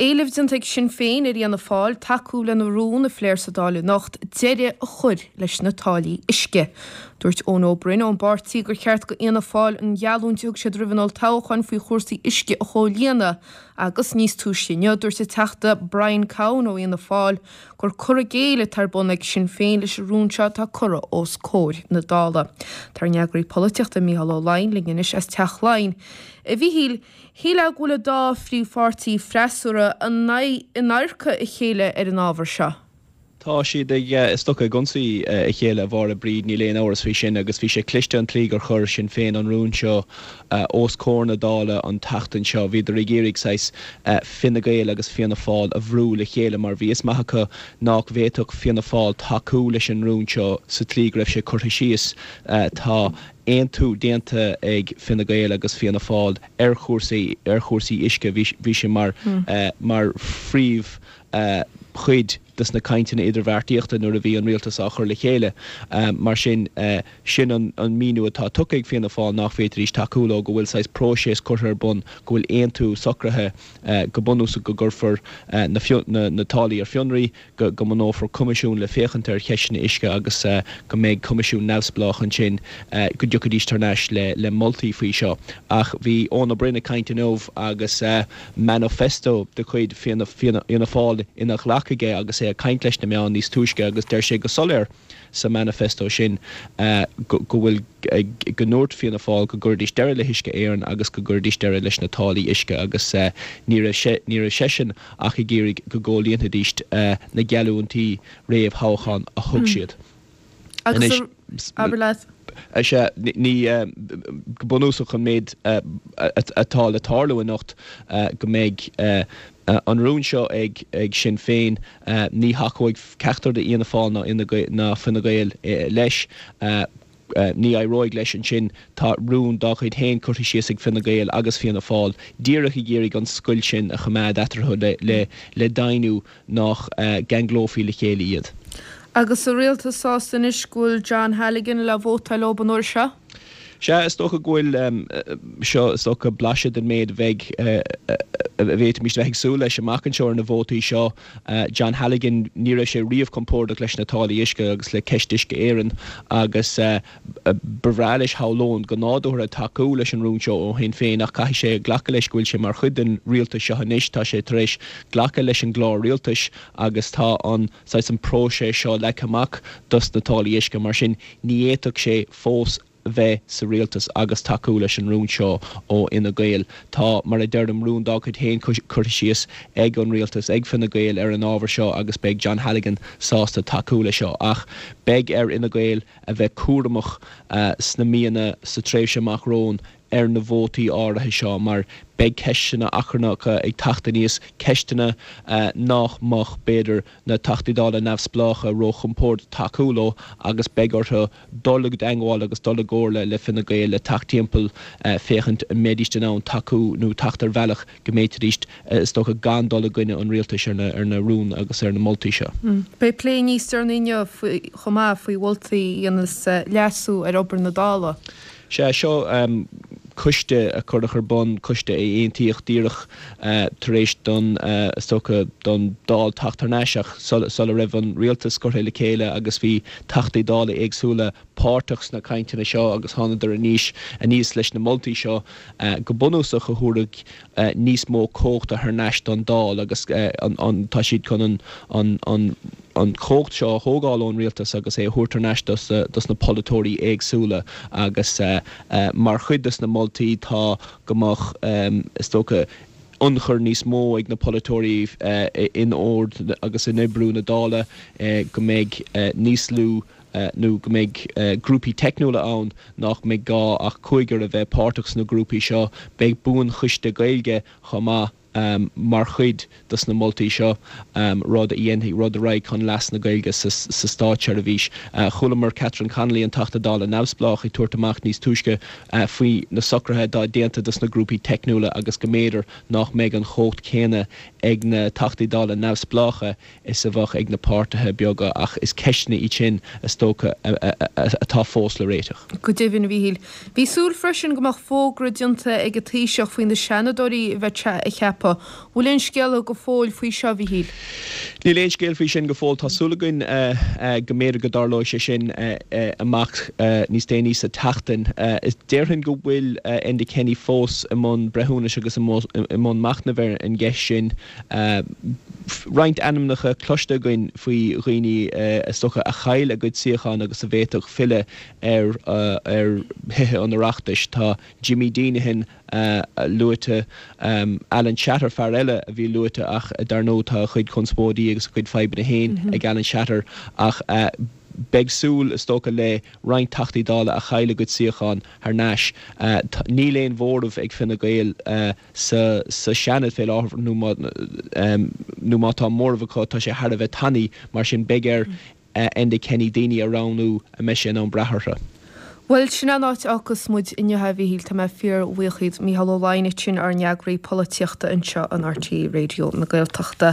éileamh déanta ag Sinn Féin ar Fhianna Fáil tacú lena rún a phléifear sa Dáil anocht deireadh a chur leis na táillí uisce. Dúirt Eoin Ó Broin ón bpáirtí gur cheart do Fhianna Fáil an gheallúint a thug siad roimh an olltoghchán faoi chúrsaí uisce a chomhlíonadh agus níos túisce inniu dúirt an Teachta Brian Cowen ó Fhianna Fáil gur cur i gcéill atá ar bun ag Sinn Féin leis an rún seo atá curtha os comhair na Dála. Tá ár n-eagraí polaitíochta Mícheál Ó Laighin linn anois as Teach Laighean. A Mhíchíl, shílfeá go bhfuil an dá phríomhpháirtí freasúra in adharca a chéile ar an ábhar seo. Tá siad ag, is dócha, ag ionsaí a chéile, a Mháire Bríd, níl aon amhras faoi sin, agus bhí sé cliste an tslí gur chuir Sinn Féin an rún seo os comhair na Dála an tseachtain seo. Bhíodar ag iarraidh saghas Fine Gael agus Fianna Fáil a bhrú le chéile mar bhí fhios maith acu nách bhféadfadh Fianna Fáil tacú leis an rún seo sa tslí go raibh sé curtha síos. Tá aontú déanta ag Fine Gael agus Fianna Fáil ar chúrsaí ar chúrsaí uisce. Bhí bhí sé mar mar phríomh chuid des na cainteanna idirbheartaíochta nuair a bhí an rialtas á chur le chéile. Mar sin, sin an míniú atá tugtha ag Fianna Fáil nach bhféadfaidís tacú leo, go bhfuil saghas próiseas curtha ar bun, go bhfuil aontú socraithe go bunúsach go gcuirfear na táillí ar fionraí, go mbunófar coimisiún le féachaint ar cheisteanna uisce agus go mbeidh coimisiún neamhspleách ansin go dtiocfaidís thar n-ais le moltaí faoi seo. Ach bhí Eoin Ó Broin ag caint inniu agus. manifesto de chuid Fianna Fáil ina ghlac aige agus é ag caint leis na meáin níos túisce agus deir sé go soiléir sa manifesto sin go bhfuil go ndúirt Fianna Fáil go gcuirfidís deireadh le hUisce Éireann agus go gcuirfidís deireadh leis na táillí uisce agus ní raibh ní raibh seisean ach ag iarraidh go gcomhlíonfaidís na geallúintí réamh-thoghcháin a thug siad. Agus abair leat. Sea, ní, go bunúsach an méid atá le tarlú anocht go mbeidh an rún seo ag Sinn Féin, ní thacóidh ceachtar de Fhianna Fáil ná Fine Gael leis, ní éireoidh leis ansin, tá rún dá gcuid féin curtha síos ag Fine Gael agus Fianna Fáil, díreach ag iarraidh an scoilt sin a choimeád eatarthu le deimhniú nach gceanglófaí le chéile iad. Agus an rialtas sásta anois go bhfuil John Halligan le vótáil leo an uair seo? Sea, is dócha go bhfuil. Seo, is dócha, blaiseadh den méid a bheidh, a bhféadfaimis a bheith ag súil leis amach anseo ar na vótaí seo. John Halligan, ní raibh sé riamh compordach leis na táillí uisce agus le ceist Uisce Éireann agus, Ba bhreá leis, shamhlóinn, go nádúrtha tacú leis an rún seo ó Shinn Féin ach caithfidh sé glacadh leis go bhfuil sé mar chuid den rialtas seo anois. Tá sé tar éis glacadh leis an gclár rialtais agus tá an saghas an próiseas seo leagtha amach dos na táillí uisce. Mar sin ní fhéadfadh sé fós bheith sa rialtas agus tacú leis an rún seo ó Fhine Gael. Tá, mar a deirim, rún dá gcuid féin curtha síos ag an rialtas, ag Fine Gael ar an ábhar seo agus beidh John Halligan sásta tacú leis seo. Ach beidh ar Fhine Gael a bheith cúramach sna míonna, sa tréimhse amach romhainn ar na vótaí áirithe seo mar beidh ceisteanna achrannacha ag teacht aníos, ceisteanna nach mbeadh, b'fhéidir, na Teachtaí Dála neamhspleácha róchompordach tacú leo agus beidh orthu dul i dteangmháil agus dul i gcomhairle le Fine Gael le teacht timpeall féachaint an mbeidís in ann tacú nó teacht ar bhealach go mb'fhéidir, is dócha, gan dul i gcoinne an rialtais ar na rúin agus ar na moltaí seo. Beidh plé níos deireanaí inniu chomh maith faoi mholtaí a dhéanfas leasú ar obair na Dála. Sea, seo coiste a cuireadh ar bun, coiste a aontaíodh díreach tar éis don, is dócha, don Dáil teacht thar n-ais ach sula raibh an rialtas curtha le chéile agus bhí Teachtaí Dála éagsúla páirteach sna cainteanna seo agus thánadar aníos aníos leis na moltaí seo go bunúsach a thabharfaidh níos mó cumhachta thar n-ais don Dáil agus an tá siad chun an an an an chumhacht seo a thógáil ón rialtas agus é a thabhairt thar n-ais dos dos na polaiteoirí éagsúla agus mar chuid dos na moltaí tá go mbeadh is dócha ionchur níos mó ag na polaiteoirí in ord agus in oibriú na Dála go mbeidh níos lú nó go mbeidh grúpaí teicniúla ann nach mbeidh gá ach cúigear a bheith páirteach sna grúpaí seo. Beidh buanchoiste Gaeilge chomh maith mar chuid dos na moltaí seo, rud a dhéanfaidh, rud a raghaidh chun leas na Gaeilge sa státseirbhís. Chualamar Catherine Connolly, an Teachta Dála neamhspleách, ag tabhairt amach níos túisce faoi na socruithe atá déanta dos na grúpaí teicniúla agus go mb'fhéidir nach mbeidh an chumhacht chéanna. ag na Teachtaí Dála neamhspleácha is a bheadh ag na páirtithe beaga ach is ceisteanna iad sin, is dócha, atá fós le réiteach. Go deimhin, a Mhíchíl. Bhí súil freisin go mbeadh fógra déanta ag an Taoiseach faoi na Seanadóirí a bheadh sé a cheapadh. Bhfuil aon scéala go fóill faoi seo, a Mhíchíl? Níl aon scéal faoi sin go fóill. Tá súil againn go mb'fhéidir go dtarlóidh sé sin amach níos déanaí sa tseachtain. Déarfainn go bhfuil Enda Kenny fós i mbun breithiúnais agus i mbun machnaimh ar an gceist sin. Roinnt ainmneacha cloiste againn faoi dhaoine is dócha a chaill a gcuid suíochán agus a bhféadfadh filleadh ar Thithe an Oireachtais. Tá Jimmy Deenihan luaite, Alan Shatter, fear eile a bhí luaite ach dar ndóigh tá a chuid conspóidí agus a chuid fadhbanna féin ag Alan Shatter ach beidh súil is dócha le roinnt Teachtaí Dála a chaill a gcuid suíochán thar n-ais. Níl aon mhóramh ag Fine Gael sa Seanad fé láthair nó má tá móramh acu tá sé thar a bheith tanaí mar sin beidh ar Enda Kenny daoine a roghnú a mbeidh sé in ann brath orthu. Bhuel, sin an áit a fhágfas muid inniu é, a Mhíchíl. Tá mé fíor-bhuíoch dhíot. Mícheál Ó Laighneach sin, ár n-eagraí polaitíochta anseo in RTÉ Raidió na Gaeltachta.